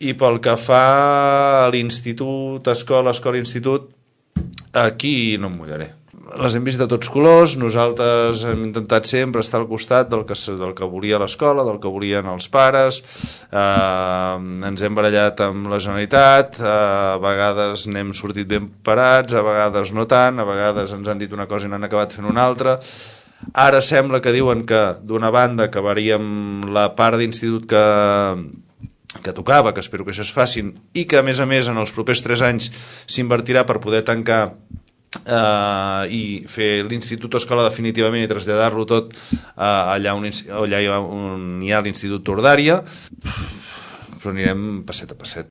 I pel que fa a l'institut, escola, institut, aquí no em mullaré. Les hem vist de tots colors, nosaltres hem intentat sempre estar al costat del que volia l'escola, del que volien els pares, ens hem barallat amb la Generalitat, a vegades n'hem sortit ben parats, a vegades no tant, a vegades ens han dit una cosa i n'han acabat fent una altra. Ara sembla que diuen que d'una banda acabaríem la part d'institut que tocava, que espero que això es facin, i que a més en els propers 3 anys s'invertirà per poder tancar i fer l'institut escola definitivament i traslladar-lo tot allà on hi ha l'Institut Tordària, però anirem passet a passet.